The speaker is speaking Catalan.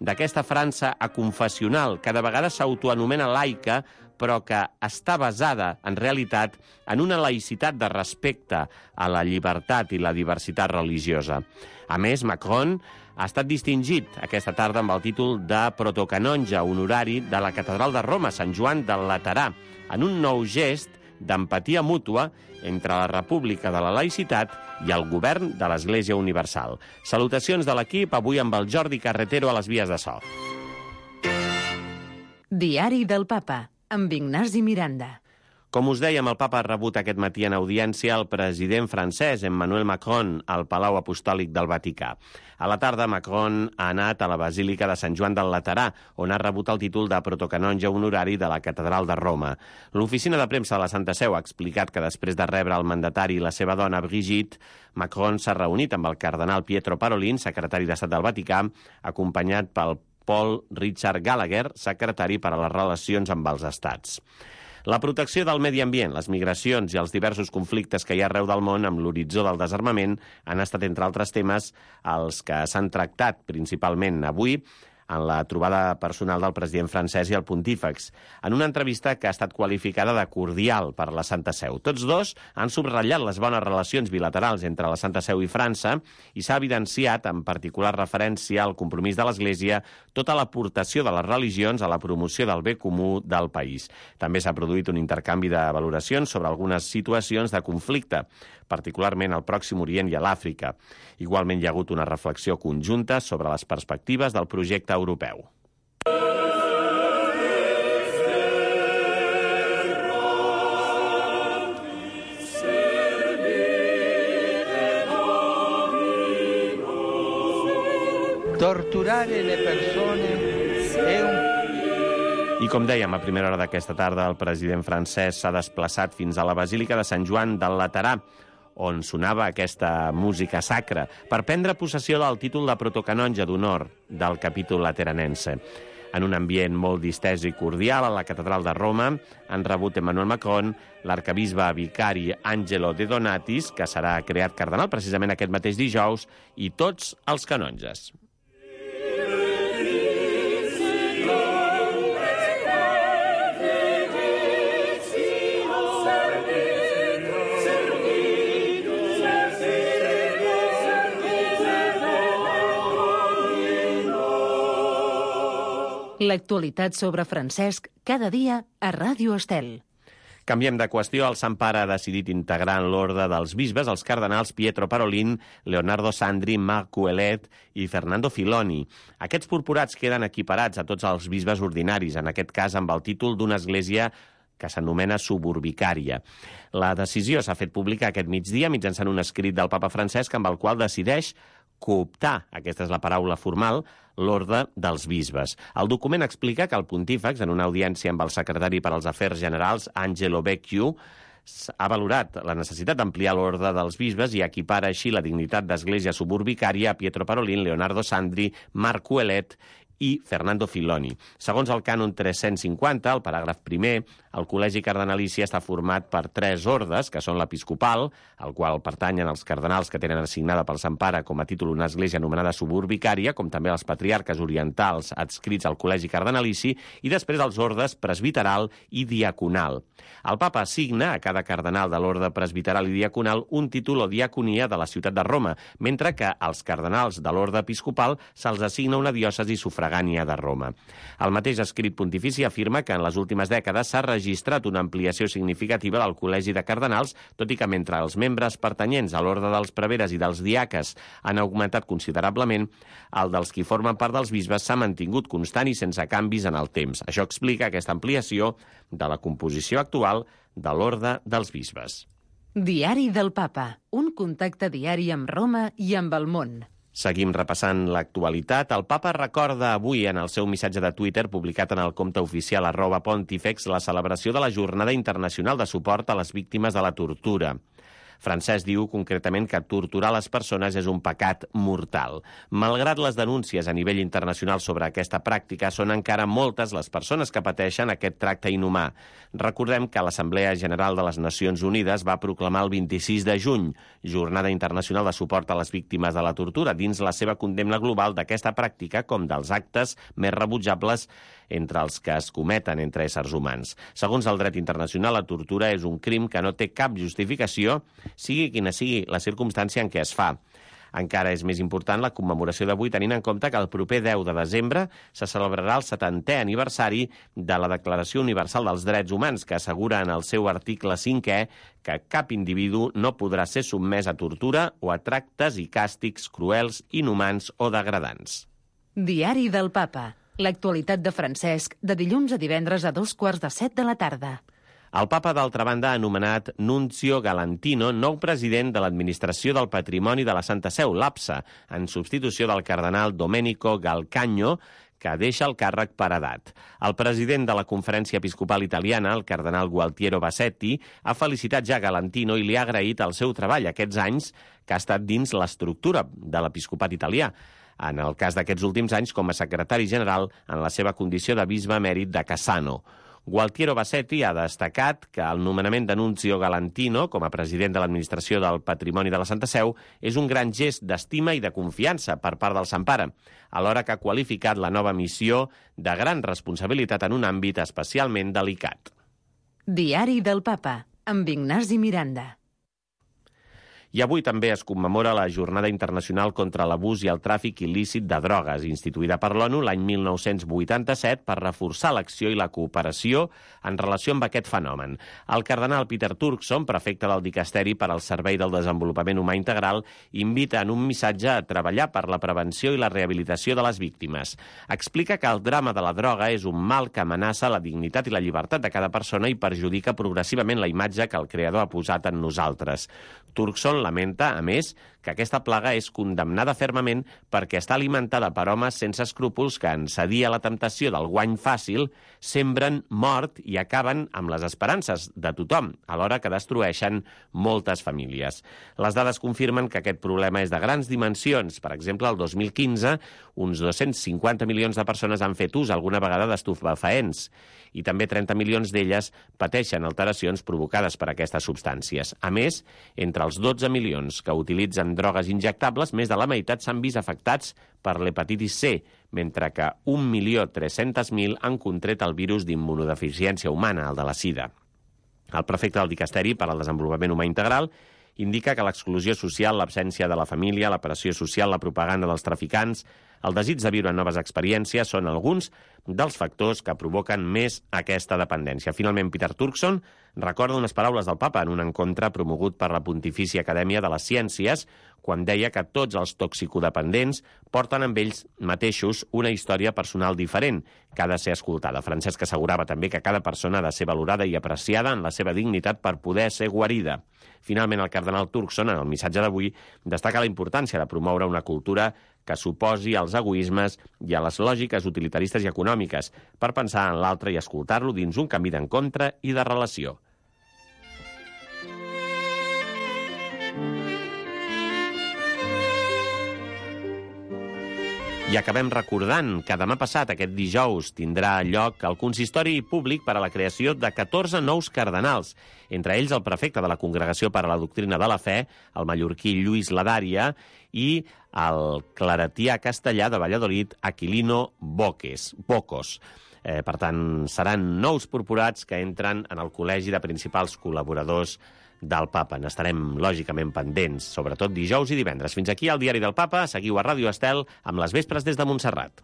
d'aquesta França aconfessional, que de vegades s'autoanomena laica, però que està basada, en realitat, en una laïcitat de respecte a la llibertat i la diversitat religiosa. A més, Macron ha estat distingit aquesta tarda amb el títol de protocanonge honorari de la Catedral de Roma, Sant Joan del Laterà, en un nou gest d'empatia mútua entre la República de la Laïcitat i el govern de l'Església Universal. Salutacions de l'equip, avui amb el Jordi Carretero a les vies de so. Diari del Papa, amb Ignasi Miranda. Com us dèiem, el papa ha rebut aquest matí en audiència el president francès, Emmanuel Macron, al Palau Apostòlic del Vaticà. A la tarda, Macron ha anat a la Basílica de Sant Joan del Laterà, on ha rebut el títol de protocanonge honorari de la Catedral de Roma. L'oficina de premsa de la Santa Seu ha explicat que després de rebre el mandatari i la seva dona, Brigitte, Macron s'ha reunit amb el cardenal Pietro Parolin, secretari d'Estat del Vaticà, acompanyat pel Paul Richard Gallagher, secretari per a les relacions amb els estats. La protecció del medi ambient, les migracions i els diversos conflictes que hi ha arreu del món amb l'horitzó del desarmament han estat, entre altres temes, els que s'han tractat principalment avui en la trobada personal del president francès i el pontífex, en una entrevista que ha estat qualificada de cordial per la Santa Seu. Tots dos han subratllat les bones relacions bilaterals entre la Santa Seu i França i s'ha evidenciat, en particular referència al compromís de l'Església, tota l'aportació de les religions a la promoció del bé comú del país. També s'ha produït un intercanvi de valoracions sobre algunes situacions de conflicte, particularment al Pròxim Orient i a l'Àfrica. Igualment hi ha hagut una reflexió conjunta sobre les perspectives del projecte europeu. Torturare le persone è un... I com dèiem, a primera hora d'aquesta tarda, el president francès s'ha desplaçat fins a la Basílica de Sant Joan del Laterà, on sonava aquesta música sacra, per prendre possessió del títol de protocanonge d'honor del capítol lateranense. En un ambient molt distès i cordial, a la Catedral de Roma han rebut Emmanuel Macron, l'arcabisbe vicari Angelo De Donatis, que serà creat cardenal precisament aquest mateix dijous, i tots els canonges. L'actualitat sobre Francesc, cada dia a Ràdio Estel. Canviem de qüestió. El Sant Pare ha decidit integrar en l'ordre dels bisbes els cardenals Pietro Parolin, Leonardo Sandri, Marc Ouellet i Fernando Filoni. Aquests purpurats queden equiparats a tots els bisbes ordinaris, en aquest cas amb el títol d'una església que s'anomena suburbicària. La decisió s'ha fet pública aquest migdia mitjançant un escrit del papa Francesc amb el qual decideix cooptar, aquesta és la paraula formal, l'ordre dels bisbes. El document explica que el pontífex, en una audiència amb el secretari per als Afers Generals, Angelo Becciu, ha valorat la necessitat d'ampliar l'ordre dels bisbes i equipara així la dignitat d'església suburbicària a Pietro Parolin, Leonardo Sandri, Marc Ouellet i Fernando Filoni. Segons el cànon 350, el paràgraf primer, el col·legi cardenalici està format per 3 ordes, que són l'episcopal, al qual pertanyen els cardenals que tenen assignada pel Sant Pare com a títol una església anomenada suburbicària, com també els patriarques orientals adscrits al col·legi cardenalici, i després els ordes presbiteral i diaconal. El papa assigna a cada cardenal de l'orde presbiteral i diaconal un títol o diaconia de la ciutat de Roma, mentre que als cardenals de l'orde episcopal se'ls assigna una diòcesi sufragània de Roma. El mateix escrit pontifici afirma que en les últimes dècades s'ha registrat una ampliació significativa del col·legi de cardenals, tot i que mentre els membres pertanyents a l'ordre dels preveres i dels diaques han augmentat considerablement, el dels qui formen part dels bisbes s'ha mantingut constant i sense canvis en el temps. Això explica aquesta ampliació de la composició actual de l'ordre dels bisbes. Diari del Papa, un contacte diari amb Roma i amb el món. Seguim repassant l'actualitat. El papa recorda avui en el seu missatge de Twitter, publicat en el compte oficial @Pontifex, la celebració de la Jornada Internacional de Suport a les Víctimes de la Tortura. Francesc diu concretament que torturar les persones és un pecat mortal. Malgrat les denúncies a nivell internacional sobre aquesta pràctica, són encara moltes les persones que pateixen aquest tracte inhumà. Recordem que l'Assemblea General de les Nacions Unides va proclamar el 26 de juny, Jornada Internacional de Suport a les Víctimes de la Tortura, dins la seva condemna global d'aquesta pràctica com dels actes més rebutjables entre els que es cometen entre éssers humans. Segons el dret internacional, la tortura és un crim que no té cap justificació, sigui quina sigui la circumstància en què es fa. Encara és més important la commemoració d'avui, tenint en compte que el proper 10 de desembre se celebrarà el 70è aniversari de la Declaració Universal dels Drets Humans, que assegura en el seu article 5è que cap individu no podrà ser sotmès a tortura o a tractes i càstigs cruels, inhumans o degradants. Diari del Papa. L'actualitat de Francesc, de dilluns a divendres a 6:45 de la tarda. El papa, d'altra banda, ha anomenat Nunzio Galantino nou president de l'Administració del Patrimoni de la Santa Seu, l'APSA, en substitució del cardenal Domenico Galcagno, que deixa el càrrec per edat. El president de la Conferència Episcopal Italiana, el cardenal Gualtiero Bassetti, ha felicitat ja Galantino i li ha agraït el seu treball aquests anys que ha estat dins l'estructura de l'episcopat italià. En el cas d'aquests últims anys, com a secretari general en la seva condició de bisbe emèrit de Cassano. Gualtiero Bassetti ha destacat que el nomenament de Nunzio Galantino com a president de l'Administració del Patrimoni de la Santa Seu és un gran gest d'estima i de confiança per part del Sant Pare, alhora que ha qualificat la nova missió de gran responsabilitat en un àmbit especialment delicat. Diari del Papa, amb Ignasi Miranda. I avui també es commemora la Jornada Internacional contra l'Abús i el Tràfic Il·lícit de Drogues, instituïda per l'ONU l'any 1987 per reforçar l'acció i la cooperació en relació amb aquest fenomen. El cardenal Peter Turkson, prefecte del Dicasteri per al Servei del Desenvolupament Humà Integral, invita en un missatge a treballar per la prevenció i la rehabilitació de les víctimes. Explica que el drama de la droga és un mal que amenaça la dignitat i la llibertat de cada persona i perjudica progressivament la imatge que el creador ha posat en nosaltres. Turkson lamenta, a més, que aquesta plaga és condemnada fermament perquè està alimentada per homes sense escrúpols que, en cedir a la temptació del guany fàcil, sembren mort i acaben amb les esperances de tothom, alhora que destrueixen moltes famílies. Les dades confirmen que aquest problema és de grans dimensions. Per exemple, el 2015, uns 250 milions de persones han fet ús alguna vegada d'estupefaents i també 30 milions d'elles pateixen alteracions provocades per aquestes substàncies. A més, entre els 12 milions que utilitzen drogues injectables, més de la meitat s'han vist afectats per l'hepatitis C, mentre que 1.300.000 han contret el virus d'immunodeficiència humana, el de la sida. El prefecte del Dicasteri per al Desenvolupament Humà Integral indica que l'exclusió social, l'absència de la família, la pressió social, la propaganda dels traficants, el desig de viure noves experiències són alguns dels factors que provoquen més aquesta dependència. Finalment, Peter Turkson recorda unes paraules del papa en un encontre promogut per la Pontifícia Acadèmia de les Ciències, quan deia que tots els toxicodependents porten amb ells mateixos una història personal diferent, que ha de ser escoltada. Francesc assegurava també que cada persona ha de ser valorada i apreciada en la seva dignitat per poder ser guarida. Finalment, el cardenal Turkson, en el missatge d'avui, destaca la importància de promoure una cultura que s'oposi als egoismes i a les lògiques utilitaristes i econòmiques, per pensar en l'altre i escoltar-lo dins un camí d'encontre i de relació. I acabem recordant que demà passat, aquest dijous, tindrà lloc el consistori públic per a la creació de 14 nous cardenals, entre ells el prefecte de la Congregació per a la Doctrina de la Fe, el mallorquí Lluís Ladària, i el claretià castellà de Valladolid, Aquilino Bocos. Per tant, seran nous purpurats que entren en el Col·legi de Principals Col·laboradors del Papa. N'estarem, lògicament, pendents, sobretot dijous i divendres. Fins aquí el Diari del Papa. Seguiu a Ràdio Estel amb les vespres des de Montserrat.